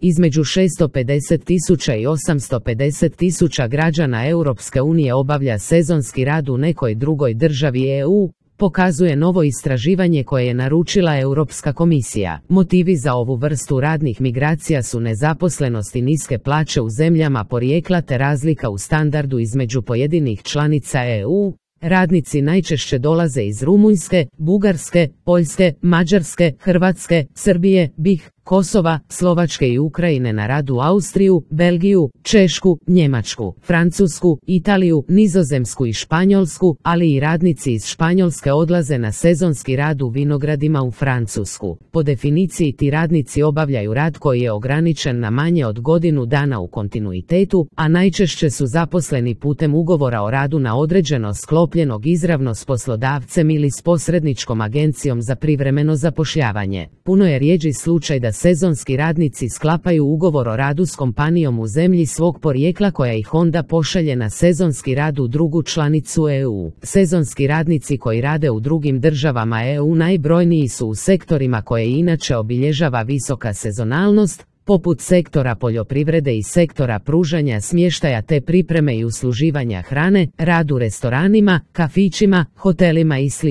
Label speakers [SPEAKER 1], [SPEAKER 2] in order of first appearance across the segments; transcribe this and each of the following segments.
[SPEAKER 1] Između 650.000 i 850.000 građana Europske unije obavlja sezonski rad u nekoj drugoj državi EU, pokazuje novo istraživanje koje je naručila Europska komisija. Motivi za ovu vrstu radnih migracija su nezaposlenost i niske plaće u zemljama porijekla te razlika u standardu između pojedinih članica EU. Radnici najčešće dolaze iz Rumunjske, Bugarske, Poljske, Mađarske, Hrvatske, Srbije, BiH, Kosova, Slovačke i Ukrajine na rad u Austriju, Belgiju, Češku, Njemačku, Francusku, Italiju, Nizozemsku i Španjolsku, ali i radnici iz Španjolske odlaze na sezonski rad u vinogradima u Francusku. Po definiciji ti radnici obavljaju rad koji je ograničen na manje od godinu dana u kontinuitetu, a najčešće su zaposleni putem ugovora o radu na određeno sklopljenog izravno s poslodavcem ili s posredničkom agencijom za privremeno zapošljavanje. Puno je rjeđi slučaj da sezonski radnici sklapaju ugovor o radu s kompanijom u zemlji svog porijekla koja ih onda pošalje na sezonski rad u drugu članicu EU. Sezonski radnici koji rade u drugim državama EU najbrojniji su u sektorima koje inače obilježava visoka sezonalnost, poput sektora poljoprivrede i sektora pružanja smještaja te pripreme i usluživanja hrane, rad u restoranima, kafićima, hotelima i sl.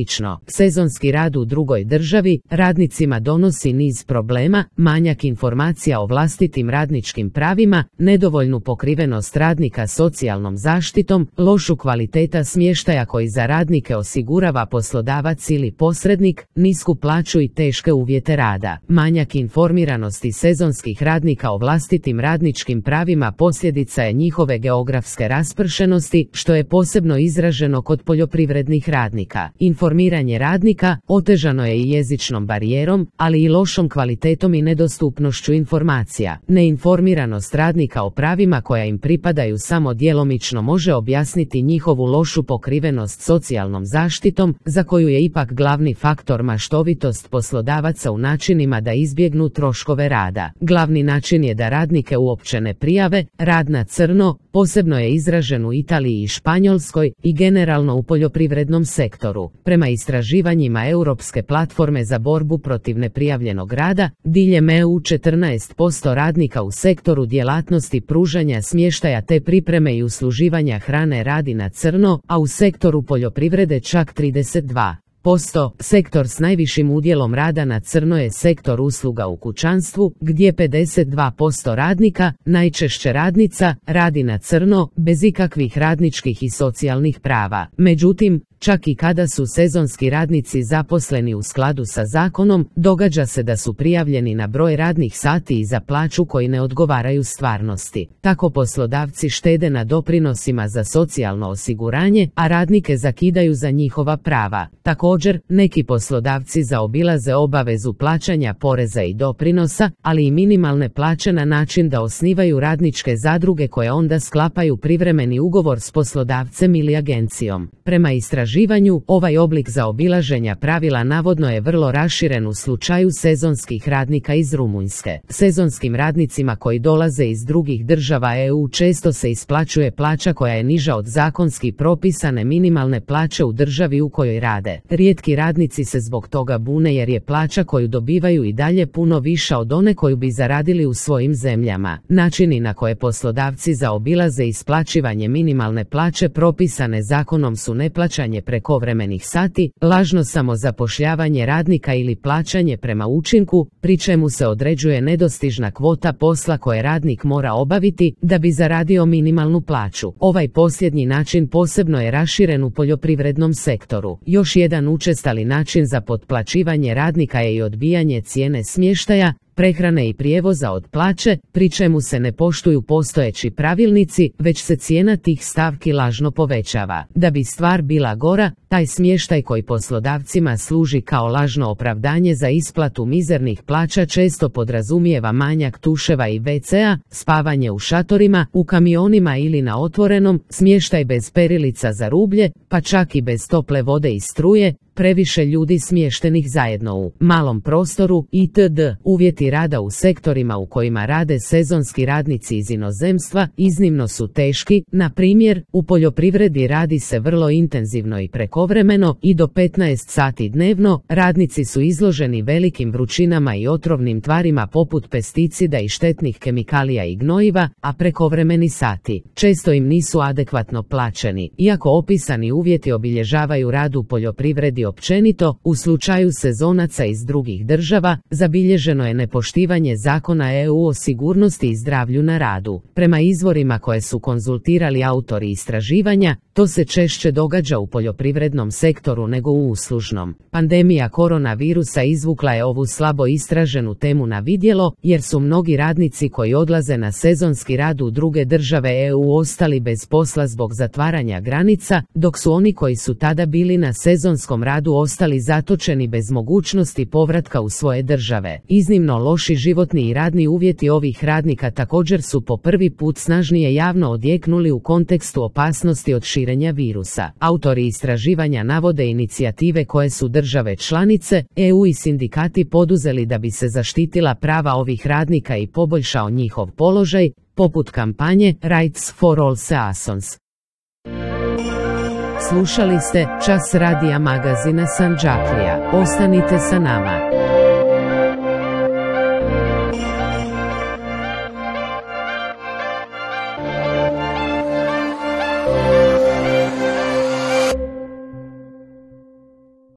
[SPEAKER 1] Sezonski rad u drugoj državi radnicima donosi niz problema, manjak informacija o vlastitim radničkim pravima, nedovoljnu pokrivenost radnika socijalnom zaštitom, lošu kvaliteta smještaja koji za radnike osigurava poslodavac ili posrednik, nisku plaću i teške uvjete rada. Manjak informiranosti sezonskih radnika o vlastitim radničkim pravima posljedica je njihove geografske raspršenosti, što je posebno izraženo kod poljoprivrednih radnika. Informiranje radnika otežano je i jezičnom barijerom, ali i lošom kvalitetom i nedostupnošću informacija. Neinformiranost radnika o pravima koja im pripadaju samo djelomično može objasniti njihovu lošu pokrivenost socijalnom zaštitom, za koju je ipak glavni faktor maštovitost poslodavaca u načinima da izbjegnu troškove rada. Glavni način je da radnike uopće ne prijave. Rad na crno posebno je izražen u Italiji i Španjolskoj i generalno u poljoprivrednom sektoru. Prema istraživanjima Europske platforme za borbu protiv neprijavljenog rada, diljem EU 14% radnika u sektoru djelatnosti pružanja smještaja te pripreme i usluživanja hrane radi na crno, a u sektoru poljoprivrede čak 32%. Sektor s najvišim udjelom rada na crno je sektor usluga u kućanstvu, gdje 52% radnika, najčešće radnica, radi na crno, bez ikakvih radničkih i socijalnih prava. Međutim, čak i kada su sezonski radnici zaposleni u skladu sa zakonom, događa se da su prijavljeni na broj radnih sati i za plaću koji ne odgovaraju stvarnosti. Tako poslodavci štede na doprinosima za socijalno osiguranje, a radnike zakidaju za njihova prava. Također, neki poslodavci zaobilaze obavezu plaćanja poreza i doprinosa, ali i minimalne plaće na način da osnivaju radničke zadruge koje onda sklapaju privremeni ugovor s poslodavcem ili agencijom. Prema istraživanju, ovaj oblik zaobilaženja pravila navodno je vrlo raširen u slučaju sezonskih radnika iz Rumunjske. Sezonskim radnicima koji dolaze iz drugih država EU često se isplaćuje plaća koja je niža od zakonski propisane minimalne plaće u državi u kojoj rade. Rijetki radnici se zbog toga bune jer je plaća koju dobivaju i dalje puno viša od one koju bi zaradili u svojim zemljama. Načini na koje poslodavci zaobilaze isplaćivanje minimalne plaće propisane zakonom su neplaćanje prekovremenih sati, lažno samozapošljavanje radnika ili plaćanje prema učinku, pri čemu se određuje nedostižna kvota posla koje radnik mora obaviti da bi zaradio minimalnu plaću. Ovaj posljednji način posebno je raširen u poljoprivrednom sektoru. Još jedan učestali način za potplaćivanje radnika je i odbijanje cijene smještaja, prehrane i prijevoza od plaće, pri čemu se ne poštuju postojeći pravilnici, već se cijena tih stavki lažno povećava. Da bi stvar bila gora, taj smještaj koji poslodavcima služi kao lažno opravdanje za isplatu mizernih plaća često podrazumijeva manjak tuševa i WC-a, spavanje u šatorima, u kamionima ili na otvorenom, smještaj bez perilica za rublje, pa čak i bez tople vode i struje, previše ljudi smještenih zajedno u malom prostoru itd. Uvjeti rada u sektorima u kojima rade sezonski radnici iz inozemstva iznimno su teški, na primjer, u poljoprivredi radi se vrlo intenzivno i prekovremeno i do 15 sati dnevno, radnici su izloženi velikim vrućinama i otrovnim tvarima poput pesticida i štetnih kemikalija i gnojiva, a prekovremeni sati često im nisu adekvatno plaćeni. Iako opisani uvjeti obilježavaju rad u poljoprivredi općenito, u slučaju sezonaca iz drugih država, zabilježeno je nepoštivanje zakona EU o sigurnosti i zdravlju na radu. Prema izvorima koje su konzultirali autori istraživanja, to se češće događa u poljoprivrednom sektoru nego u uslužnom. Pandemija koronavirusa izvukla je ovu slabo istraženu temu na vidjelo, jer su mnogi radnici koji odlaze na sezonski rad u druge države EU ostali bez posla zbog zatvaranja granica, dok su oni koji su tada bili na sezonskom radu ostali zatočeni bez mogućnosti povratka u svoje države. Iznimno loši životni i radni uvjeti ovih radnika također su po prvi put snažnije javno odjeknuli u kontekstu opasnosti od širenja virusa. Autori istraživanja navode inicijative koje su države članice, EU i sindikati poduzeli da bi se zaštitila prava ovih radnika i poboljšao njihov položaj, poput kampanje Rights for All Seasons. Slušali ste Čas radija magazina Sandžaklija. Ostanite sa nama.